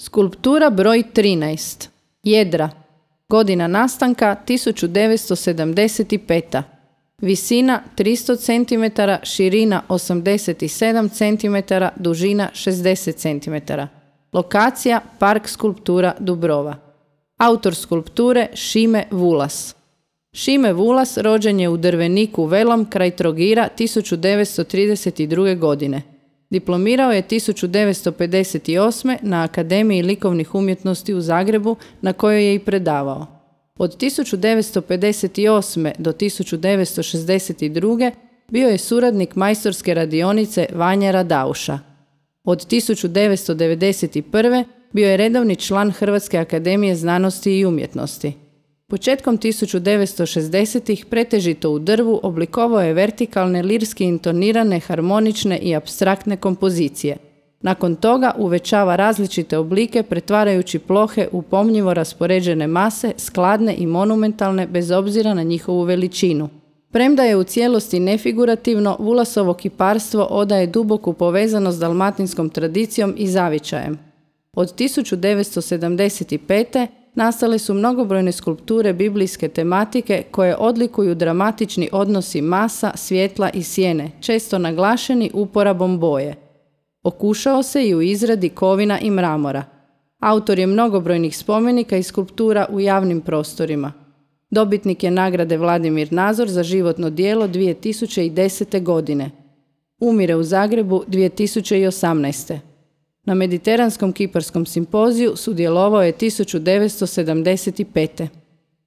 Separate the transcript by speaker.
Speaker 1: Skulptura broj 13. Jedra. Godina nastanka 1975. Visina 300 cm, širina 87 cm, dužina 60 cm. Lokacija Park skulptura Dubrova. Autor skulpture Šime Vulas. Šime Vulas rođen je u Drveniku Velom kraj Trogira 1932. godine. Diplomirao je 1958. na Akademiji likovnih umjetnosti u Zagrebu, na kojoj je i predavao. Od 1958. do 1962. bio je suradnik majstorske radionice Vanje Radauša. Od 1991. bio je redovni član Hrvatske akademije znanosti i umjetnosti. Početkom 1960-ih pretežito u drvu oblikovao je vertikalne, lirski intonirane, harmonične i apstraktne kompozicije. Nakon toga uvećava različite oblike pretvarajući plohe u pomnjivo raspoređene mase, skladne i monumentalne bez obzira na njihovu veličinu. Premda je u cijelosti nefigurativno, Vulasovo kiparstvo odaje duboku povezanost s dalmatinskom tradicijom i zavičajem. Od 1975. nastale su mnogobrojne skulpture biblijske tematike koje odlikuju dramatični odnosi masa, svjetla i sjene, često naglašeni uporabom boje. Okušao se i u izradi kovina i mramora. Autor je mnogobrojnih spomenika i skulptura u javnim prostorima. Dobitnik je nagrade Vladimir Nazor za životno djelo 2010. godine. Umire u Zagrebu 2018. Na Mediteranskom kiparskom simpoziju sudjelovao je 1975.